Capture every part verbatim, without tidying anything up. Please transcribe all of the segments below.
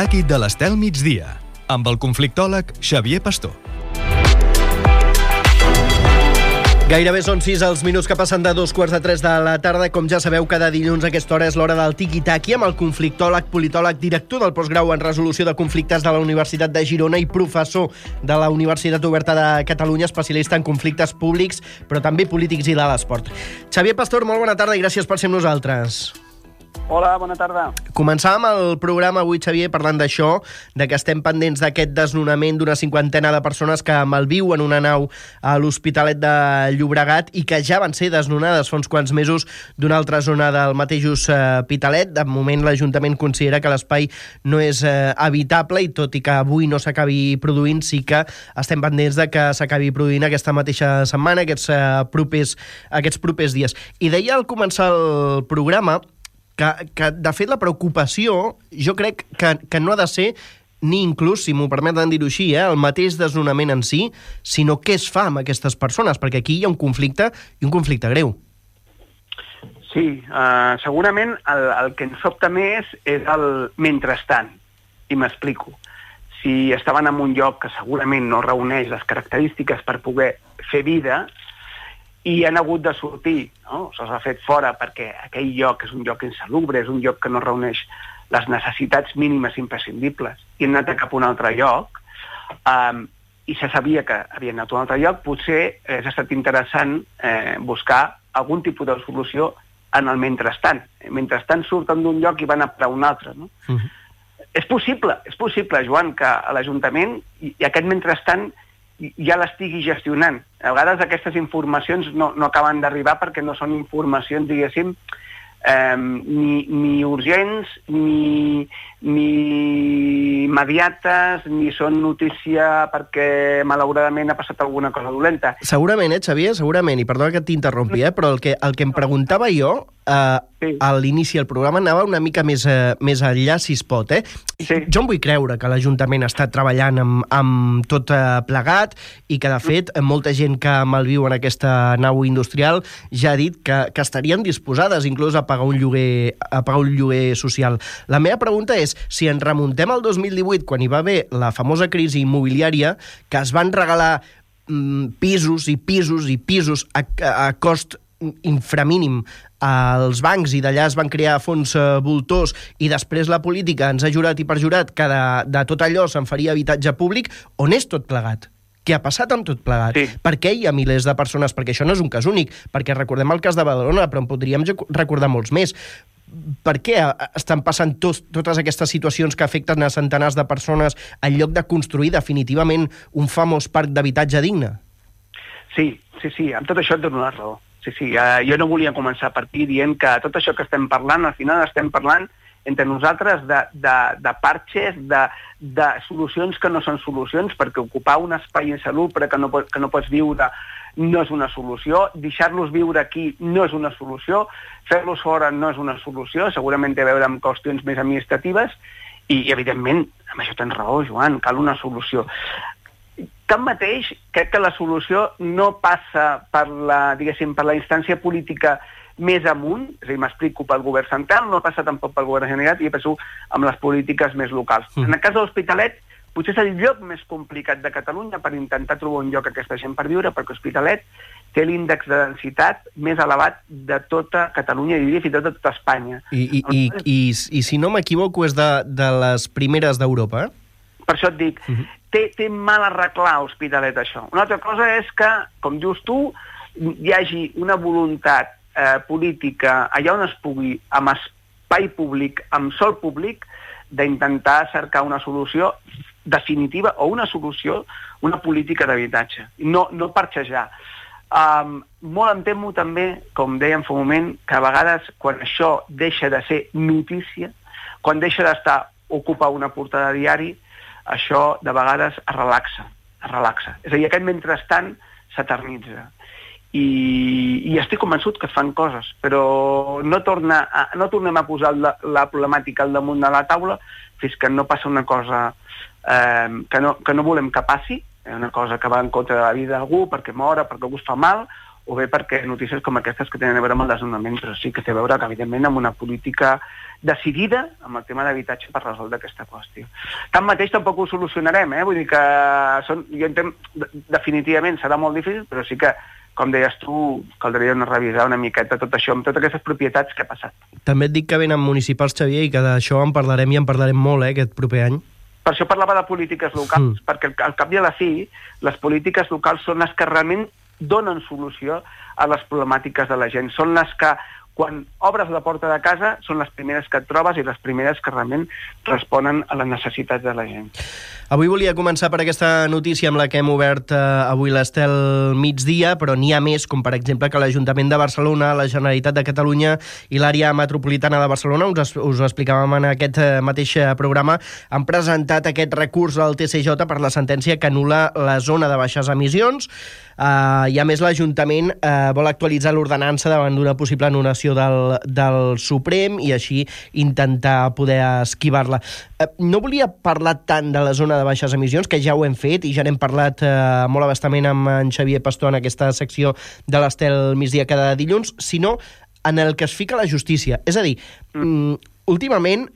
Tiki-Taki de l'Estel Migdia, amb el conflictòleg Xavier Pastor. Gairebé són sis els minuts que passen de dos quarts de tres de la tarda. Com ja sabeu, cada dilluns a aquesta hora és l'hora del Tiki-Taki amb el conflictòleg, politòleg, director del postgrau en resolució de conflictes de la Universitat de Girona i professor de la Universitat Oberta de Catalunya, especialista en conflictes públics, però també polítics i de l'esport. Xavier Pastor, molt bona tarda i gràcies per ser amb nosaltres. Hola, bona tarda. Començàvem el programa avui, Xavier, parlant d'això, de que estem pendents d'aquest desnonament d'una cinquantena de persones que malviuen una nau a l'Hospitalet de Llobregat i que ja van ser desnonades fa uns quants mesos d'una altra zona del mateix Hospitalet. De moment, l'Ajuntament considera que l'espai no és eh, habitable i tot i que avui no s'acabi produint, sí que estem pendents de que s'acabi produint aquesta mateixa setmana, aquests, eh, propers, aquests propers dies. I deia al començar el programa Que, que, de fet, la preocupació, jo crec que, que no ha de ser ni inclús, si m'ho permeten dir-ho així, eh, el mateix desnonament en si, sinó què es fa amb aquestes persones, perquè aquí hi ha un conflicte, i un conflicte greu. Sí, uh, segurament el, el que ens sobta més és el mentrestant, i m'explico. Si estaven en un lloc que segurament no reuneix les característiques per poder fer vida, i han hagut de sortir, no? Se'ls ha fet fora perquè aquell lloc és un lloc insalubre, és un lloc que no reuneix les necessitats mínimes imprescindibles, i han anat cap a un altre lloc, um, i se sabia que havien anat a un altre lloc, potser hauria estat interessant eh, buscar algun tipus de solució en el mentrestant. Mentrestant surten d'un lloc i van a per un altre, no? Uh-huh. És possible, és possible, Joan, que a l'Ajuntament i, i aquest mentrestant ja l'estigui gestionant. A vegades aquestes informacions no, no acaben d'arribar perquè no són informacions, diguéssim, eh, ni, ni urgents, ni, ni immediates, ni són notícia perquè malauradament ha passat alguna cosa dolenta. Segurament, eh, Xavier? Segurament, i perdona que t'interrompi, eh, però el que, el que em preguntava jo, eh, sí. a l'inici del programa anava una mica més, eh, més enllà, si es pot, eh? Sí. Jo em vull creure que l'Ajuntament està treballant amb, amb tot eh, plegat i que, de fet, molta gent que malviu en aquesta nau industrial ja ha dit que, que estarien disposades inclús a pagar un lloguer, a pagar un lloguer social. La meva pregunta és, si ens remuntem al dos mil divuit, quan hi va haver la famosa crisi immobiliària, que es van regalar mm, pisos i pisos i pisos a, a cost inframínim als bancs i d'allà es van crear fons eh, voltors i després la política ens ha jurat i perjurat que de, de tot allò se'n faria habitatge públic, on és tot plegat? Què ha passat amb tot plegat? Sí. Per què hi ha milers de persones? Perquè això no és un cas únic, perquè recordem el cas de Badalona, però en podríem recordar molts més. Per què estan passant tot, totes aquestes situacions que afecten a centenars de persones en lloc de construir definitivament un famós parc d'habitatge digne? Sí, sí, sí, amb tot això et dono la raó. Sí, sí, uh, jo no volia començar per aquí dient que tot això que estem parlant, al final estem parlant entre nosaltres de, de, de parxes, de, de solucions que no són solucions, perquè ocupar un espai insalubre que no, que no pots viure no és una solució, deixar-los viure aquí no és una solució, fer-los fora no és una solució, segurament té a veure amb qüestions més administratives, i, i evidentment, amb això tens raó, Joan, cal una solució. Tanmateix, crec que la solució no passa per la, diguéssim, per la instància política més amunt, és a dir, m'explico, pel govern central, no passa tampoc pel govern general, i penso amb les polítiques més locals. Mm. En el cas de l'Hospitalet, potser és el lloc més complicat de Catalunya per intentar trobar un lloc a aquesta gent per viure, perquè l'Hospitalet té l'índex de densitat més elevat de tota Catalunya, i diria fins i tot de tota Espanya. I, i, i, i, i si no m'equivoco, és de, de les primeres d'Europa, eh? Per això et dic, uh-huh. té, té mal arreglar Hospitalet això. Una altra cosa és que, com dius tu, hi hagi una voluntat eh, política allà on es pugui, amb espai públic, amb sol públic, d'intentar cercar una solució definitiva o una solució, una política d'habitatge. No, no parxejar. Um, molt em temo també, com dèiem fa un moment, que a vegades quan això deixa de ser notícia, quan deixa d'estar ocupa una portada de diari, això de vegades es relaxa, es relaxa. És a dir, aquest mentrestant s'eternitza. I, I estic convençut que fan coses, però no, torna a, no tornem a posar la, la problemàtica al damunt de la taula fins que no passa una cosa eh, que, no, que no volem que passi, una cosa que va en contra de la vida d'algú, perquè mora, perquè algú es fa mal, o bé perquè notícies com aquestes que tenen a veure amb el desnonament, però sí que té a veure, que, evidentment, amb una política decidida amb el tema d'habitatge per resoldre aquesta qüestió. Tanmateix tampoc ho solucionarem, eh? Vull dir que són, jo entenc, definitivament serà molt difícil, però sí que, com deies tu, caldria revisar una miqueta tot això, amb totes aquestes propietats que ha passat. També et dic que venen municipals, Xavier, i que d'això en parlarem i en parlarem molt, eh, aquest proper any. Per això parlava de polítiques locals, mm. perquè al cap i a la fi, les polítiques locals són les que realment donen solució a les problemàtiques de la gent. Són les que, quan obres la porta de casa, són les primeres que et trobes i les primeres que realment responen a les necessitats de la gent. Avui volia començar per aquesta notícia amb la que hem obert eh, avui l'Estel Migdia, però n'hi ha més, com per exemple que l'Ajuntament de Barcelona, la Generalitat de Catalunya i l'àrea metropolitana de Barcelona, us, us ho explicàvem en aquest mateix programa, han presentat aquest recurs al T C J per la sentència que anul·la la zona de baixes emissions. Uh, I a més l'Ajuntament uh, vol actualitzar l'ordenança davant d'una possible anul·lació del, del Suprem i així intentar poder esquivar-la. Uh, no volia parlar tant de la zona de baixes emissions, que ja ho hem fet i ja n'hem parlat uh, molt abastament amb en Xavier Pastor en aquesta secció de l'Estel Migdia cada dilluns, sinó en el que es fica la justícia. És a dir, mm. últimament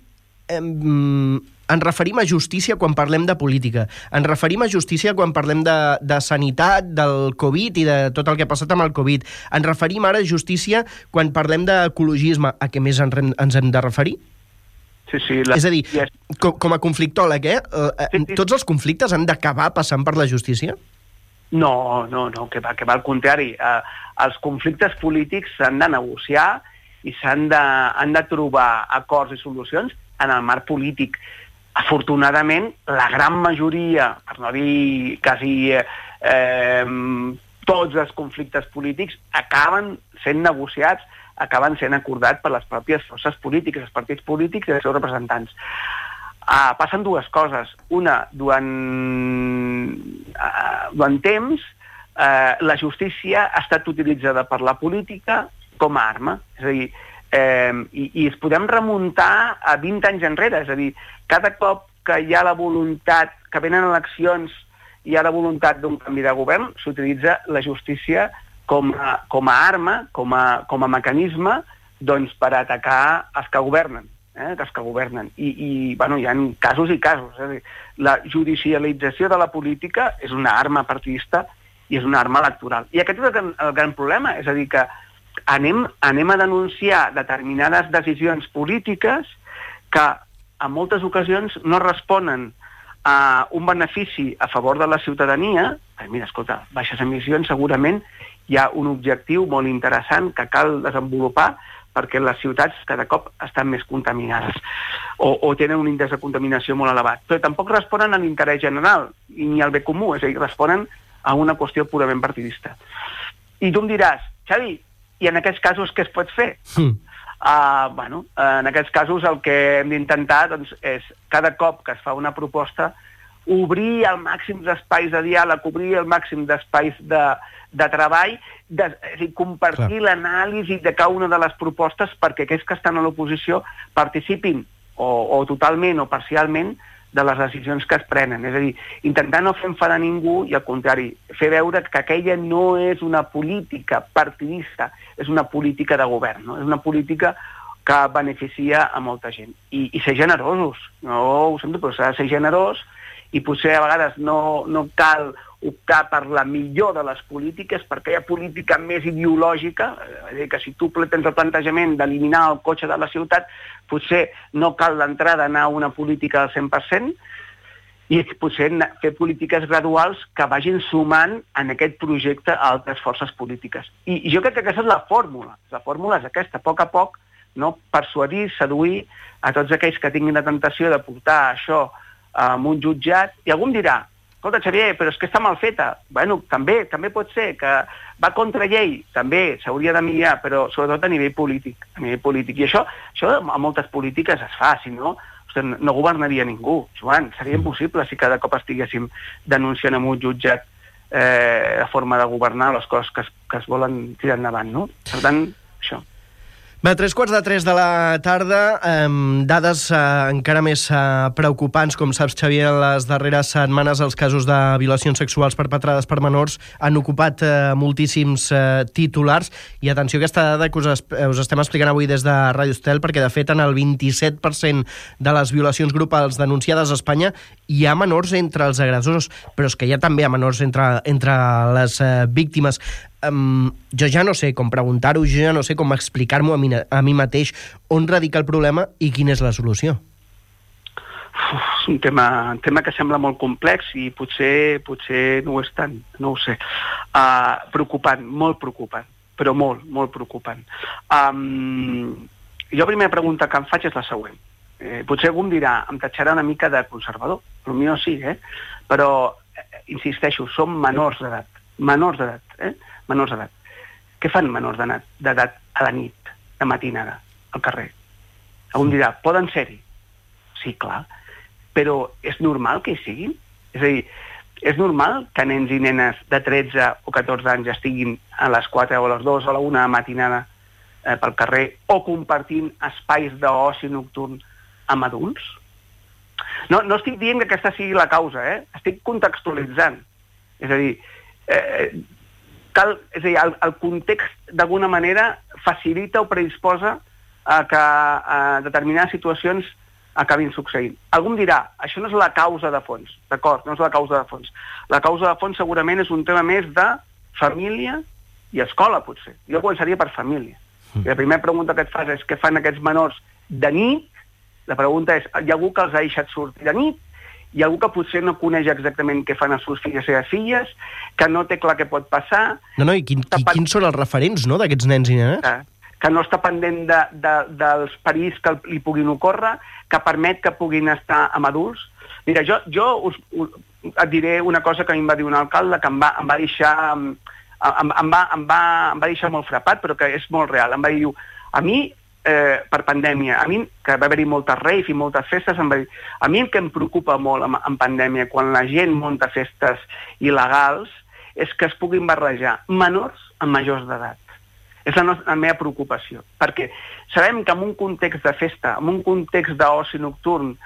um, ens referim a justícia quan parlem de política, ens referim a justícia quan parlem de, de sanitat, del Covid i de tot el que ha passat amb el Covid. Ens referim ara a justícia quan parlem d'ecologisme. A què més ens hem de referir? Sí, sí. La... És a dir, com, com a conflictòleg, eh? Sí, sí. Tots els conflictes han d'acabar passant per la justícia? No, no, no, que va, que va al contrari. Eh, els conflictes polítics s'han de negociar i s'han de, han de trobar acords i solucions en el marc polític. Afortunadament, la gran majoria, per no dir quasi eh, eh, tots els conflictes polítics, acaben sent negociats, acaben sent acordats per les pròpies forces polítiques, els partits polítics i els seus representants. Uh, passen dues coses. Una, durant, uh, durant temps, uh, la justícia ha estat utilitzada per la política com a arma. És a dir, Eh, i, i es podem remuntar a vint anys enrere, és a dir, cada cop que hi ha la voluntat, que venen eleccions i hi ha la voluntat d'un canvi de govern, s'utilitza la justícia com a, com a arma, com a, com a mecanisme, doncs, per atacar els que governen, eh, els que governen. I, i bueno, hi ha casos i casos. És a dir, la judicialització de la política és una arma partidista i és una arma electoral. I aquest és el gran, el gran problema, és a dir, que Anem, anem a denunciar determinades decisions polítiques que en moltes ocasions no responen a un benefici a favor de la ciutadania. Eh, mira, escolta, baixes emissions, segurament hi ha un objectiu molt interessant que cal desenvolupar perquè les ciutats cada cop estan més contaminades o, o tenen un índex de contaminació molt elevat. Però tampoc responen a l'interès general ni al bé comú, és a dir, responen a una qüestió purament partidista. I tu em diràs, Xavi, i en aquests casos què es pot fer? Mm. Uh, bueno, en aquests casos el que hem d'intentar doncs, és, cada cop que es fa una proposta, obrir el màxim d'espais de diàleg, obrir el màxim d'espais de, de treball, de, és dir, compartir l'anàlisi de cada una de les propostes perquè aquells que estan a l'oposició participin o, o totalment o parcialment de les decisions que es prenen. És a dir, intentar no fer enfadar ningú i, al contrari, fer veure que aquella no és una política partidista, és una política de govern, no? És una política que beneficia a molta gent. I, i ser generosos. No ho sento, però s'ha de ser generós i potser a vegades no, no cal optar per la millor de les polítiques, perquè hi ha política més ideològica, és a dir, que si tu tens el plantejament d'eliminar el cotxe de la ciutat, potser no cal d'entrada anar a una política al cent per cent, i potser fer polítiques graduals que vagin sumant en aquest projecte a altres forces polítiques. I, i jo crec que aquesta és la fórmula. La fórmula és aquesta, a poc a poc, no? Persuadir, seduir a tots aquells que tinguin la tentació de portar això en un jutjat, i algú em dirà, escolta, Xavier, però és que està mal feta. Bueno, també, també pot ser que va contra llei, també s'hauria de millorar, però sobretot a nivell polític. A nivell polític. I això, això a moltes polítiques es fa, si no, no governaria ningú. Joan, seria impossible si cada cop estiguéssim denunciant en un jutjat eh, la forma de governar les coses que es, que es volen tirar endavant, no? Per tant, això. Va, tres quarts de tres de la tarda, eh, dades eh, encara més eh, preocupants. Com saps, Xavier, en les darreres setmanes els casos de violacions sexuals perpetrades per menors han ocupat eh, moltíssims eh, titulars. I atenció a aquesta dada que us, es, us estem explicant avui des de Ràdio Estel, perquè de fet en el vint-i-set per cent de les violacions grupals denunciades a Espanya hi ha menors entre els agressors, però és que hi ha també ha menors entre, entre les eh, víctimes. Um, jo ja no sé com preguntar-ho, jo ja no sé com explicar-m'ho a, mi, a mi mateix on radica el problema i quina és la solució. Uf, és un tema, un tema que sembla molt complex i potser, potser no ho és tant, no ho sé. Uh, preocupant, molt preocupant, però molt, molt preocupant. Um, jo la primera pregunta que em faig és la següent. Eh, potser algú em dirà, em tatxarà una mica de conservador, però a mi no sí, eh? Però, eh, insisteixo, som menors d'edat, menors d'edat, eh? menors d'edat. Què fan menors d'edat a la nit, de matinada, al carrer? Algú em dirà, poden ser-hi? Sí, clar. Però és normal que hi siguin? És a dir, és normal que nens i nenes de tretze o catorze anys estiguin a les quatre o a les dues o a la una de matinada eh, pel carrer o compartint espais d'oci nocturn amb adults? No, no estic dient que aquesta sigui la causa, eh? Estic contextualitzant. És a dir, eh, cal, és a dir, el, el context d'alguna manera facilita o predisposa a que a determinades situacions acabin succeint. Algú em dirà, això no és la causa de fons, d'acord, no és la causa de fons. La causa de fons segurament és un tema més de família i escola, potser. Jo començaria per família. Mm. I la primera pregunta que et fas és què fan aquests menors de nit? La pregunta és, hi ha algú que els ha deixat sortir de nit? Hi ha algú que potser no coneix exactament què fan els seus fills i les seves filles, que no té clar què pot passar... No, no, i quin, qui, quins són els referents, no?, d'aquests nens i nenes? Que, que no està pendent de, de, dels perills que li puguin ocórrer, que permet que puguin estar amb adults. Mira, jo, jo us, us, et diré una cosa que a mi em va dir un alcalde que em va, em va deixar... Em, em, em, va, em, va, em va deixar molt frapat, però que és molt real. Em va dir, a mi... Eh, per pandèmia, a mi, que va haver-hi moltes raves i moltes festes, em va dir, a mi el que em preocupa molt en, en pandèmia, quan la gent munta festes il·legals, és que es puguin barrejar menors amb majors d'edat. És la, nostra, la meva preocupació, perquè sabem que en un context de festa, en un context d'oci nocturn,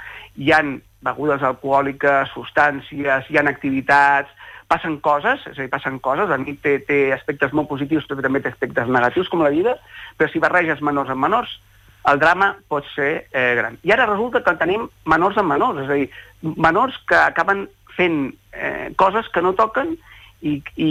hi ha begudes alcohòliques, substàncies, hi ha activitats, passen coses, és a dir, passen coses, la nit té, té aspectes molt positius, però també té aspectes negatius, com la vida, però si barreges menors amb menors, el drama pot ser eh, gran. I ara resulta que tenim menors amb menors, és a dir, menors que acaben fent eh, coses que no toquen i, i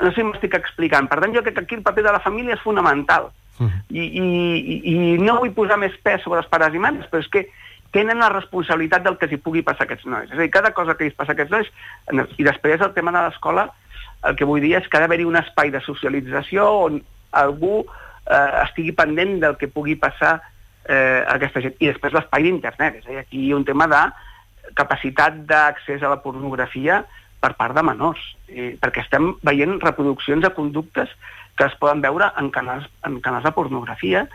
no sé si m'estic explicant. Per tant, jo crec que aquí el paper de la família és fonamental. Uh-huh. I, i, I no vull posar més pes sobre els pares i mares, però és que tenen la responsabilitat del que els hi pugui passar a aquests nois. És a dir, cada cosa que els passa a aquests nois... I després el tema de l'escola, el que vull dir és que ha d'haver-hi un espai de socialització on algú eh, estigui pendent del que pugui passar eh, a aquesta gent. I després l'espai d'internet. És a dir, aquí hi ha un tema de capacitat d'accés a la pornografia per part de menors. Eh, perquè estem veient reproduccions de conductes que es poden veure en canals, en canals de pornografia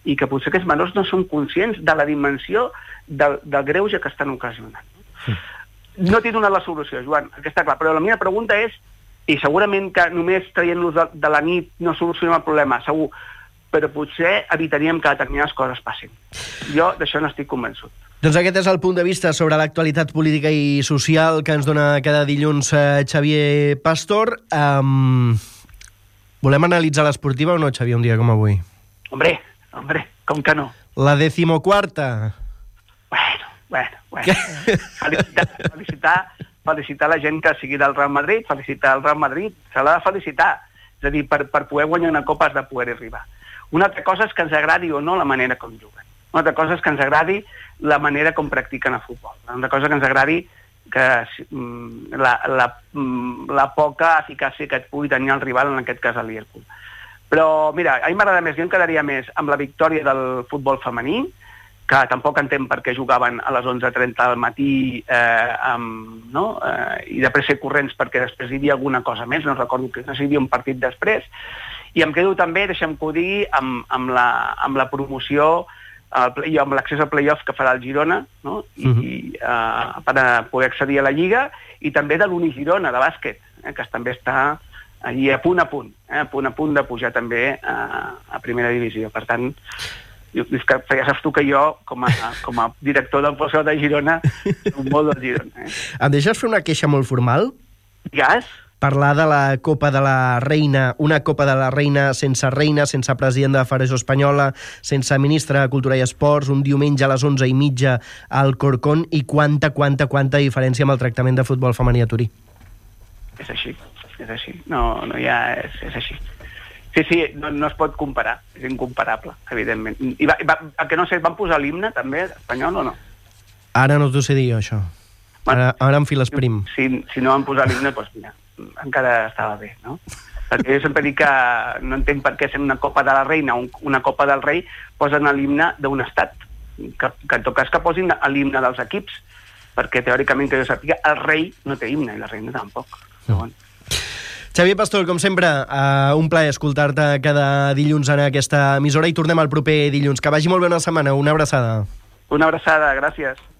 i que potser aquests menors no són conscients de la dimensió del, del greuge que estan ocasionant. Sí. No t'he donat la solució, Joan, aquesta clar, però la meva pregunta és, i segurament que només traient-los de, de la nit no solucionem el problema, segur, però potser evitaríem que determinades coses passin. Jo d'això no estic convençut. Doncs aquest és el punt de vista sobre l'actualitat política i social que ens dona cada dilluns eh, Xavier Pastor. Um, volem analitzar l'esportiva o no, Xavier, un dia com avui? Hombre, hombre, com que no? La decimoquarta. Bueno, bueno, bueno. Felicitar, felicitar, felicitar la gent que sigui del Real Madrid, felicitar el Real Madrid, se l'ha de felicitar. És a dir, per, per poder guanyar una copa has de poder arribar. Una altra cosa és que ens agradi o no la manera com juguen. Una altra cosa és que ens agradi la manera com practiquen el futbol. Una altra cosa que ens agradi que la, la, la poca eficàcia que et pugui tenir el rival, en aquest cas el Liverpool. Però, mira, a mi m'agrada més, jo em quedaria més amb la victòria del futbol femení, que tampoc entenc per què jugaven a les onze trenta del matí eh, amb, no? eh, i després ser corrents perquè després hi havia alguna cosa més, no recordo que no sé si hi havia un partit després, i em quedo també, deixa'm que ho digui, amb, amb, la, amb la promoció, i amb l'accés al play-off que farà el Girona, no? I, uh-huh. i, uh, per a poder accedir a la Lliga, i també de l'Uni Girona, de bàsquet, eh, que també està allí a punt a punt, eh? a punt a punt de pujar també a, a primera divisió. Per tant, jo, que, ja saps tu que jo, com a, com a director del Pozo de Girona, un molt del Girona. Eh? Em deixes fer una queixa molt formal? Digues? Parlar de la Copa de la Reina, una Copa de la Reina sense reina, sense president de la Federació Espanyola, sense ministre de Cultura i Esports, un diumenge a les onze i mitja al Corcón, i quanta, quanta, quanta diferència amb el tractament de futbol femení a Turí. És així, és així. No, no hi ha... És, és així. Sí, sí, no, no es pot comparar. És incomparable, evidentment. I va, va, que no sé, van posar l'himne també, espanyol o no? Ara no t'ho sé dir jo, això. Ara, ara em files prim. Si, si no van posar l'himne, doncs mira, encara estava bé, no? Perquè jo sempre dic que no entenc per què sent una Copa de la Reina o una Copa del Rei posen l'himne d'un estat. Que, que en tot cas que posin l'himne dels equips, perquè teòricament que jo sàpiga, el rei no té himne i la reina tampoc. Però bueno. Xavier Pastor, com sempre, uh, un plaer escoltar-te cada dilluns en aquesta emissora i tornem al proper dilluns. Que vagi molt bé una setmana. Una abraçada. Una abraçada, gràcies.